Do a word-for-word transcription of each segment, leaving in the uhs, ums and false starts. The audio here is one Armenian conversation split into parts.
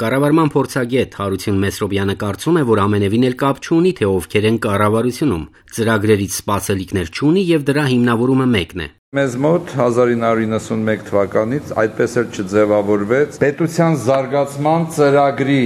Կառավարման փորձագետ Հարություն Մեսրոբյանը կարծում է, որ ամենևին էլ կապ չունի, թե ովքեր են կառավարությունում, ծրագրերից սպասելիքներ չունի եւ դրա հիմնավորումը մեկն է։ Մեզ մոտ հազար ինը հարյուր իննսունմեկ թվականից այդպես էլ չձևավորվեց պետության զարգացման ծրագրի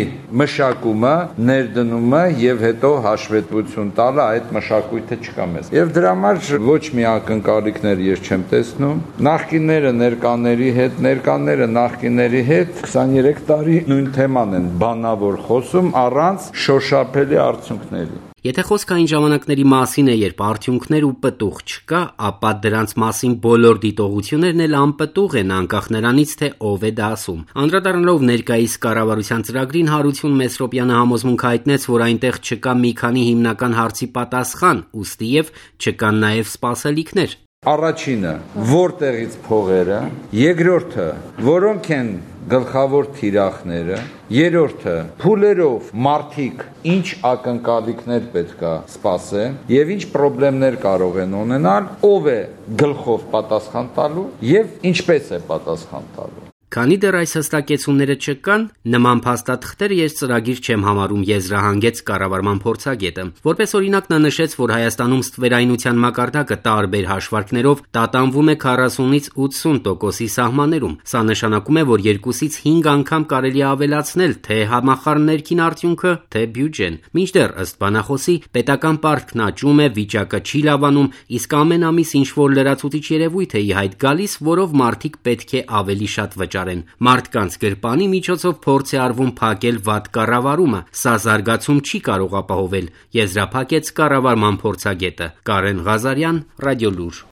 մշակումը, ներդնումը եւ հետո հաշվետվություն տալը այդ մշակույթը չկա մեզ։ Եվ դրա համար ոչ մի ակնկալիքներ ես չեմ տեսնում։ Նախկինները ներկաների հետ, ներկաները նախկինների հետ քսաներեք տարի նույն թեման են բանավոր խոսում առանց շոշափելի արդյունքների։ Եթե խոսքը այն ժամանակների մասին է, երբ արդյունքներ ու պտուղ չկա, ապա դրանց մասին բոլոր դիտողություններն էլ անպտուղ են, անկախ նրանից, թե ով է դա ասում։ Անդրադառնալով ներկայիս կառավարության ծրագրին, Հարություն Մեսրոբյանը համոզմունք հայտնեց, որ այնտեղ չկա մի քանի հիմնական հարցի պատասխան, ուստիև չկան նաև սպասելիքներ։ Առաջինը, որտեղից փողերը, երկրորդը, որոնք են գլխավոր թիրախները, երրորդը, փուլերով մարդիկ ինչ ակնկալիքներ պետքա սպասեն եւ ինչ խնդիրներ կարող են ունենալ, ով է գլխով պատասխան տալու եւ ինչպես է պատասխան տալու։ Քանի դեռ այս հստակեցումները չկան, նման փաստաթղթերը ես ծրագիր չեմ համարում, եզրահանգեց կառավարման փորձագետը։ Որպես օրինակ նա նշեց, որ Հայաստանում ստվերայնության մակարդակը տարբեր հաշվարկներով տատանվում է քառասունից ութսուն տոկոսի սահմաններում։ Սա նշանակում է, որ երկուսից հինգ անգամ կարելի է ավելացնել թե համախառն ներքին արդյունքը, թե բյուջեն։ Մինչդեռ ըստ բանախոսի պետական պարտքն աճում է, վիճակը չի լավանում, իսկ ամեն ամիս ինչ-որ լրացուցիչ երևույթ է ի հայտ գալիս, որով մարդիկ պետք է ավելի շատ վճարեն։ Մարդկանց գրպանի միջոցով փորձ է արվում փակել վատ կառավարումը։ Սա զարգացում չի կարող ապահովել, եզրափակեց կառավարման փորձագետը։ Կարեն Ղազարյան, Ռադիոլուր։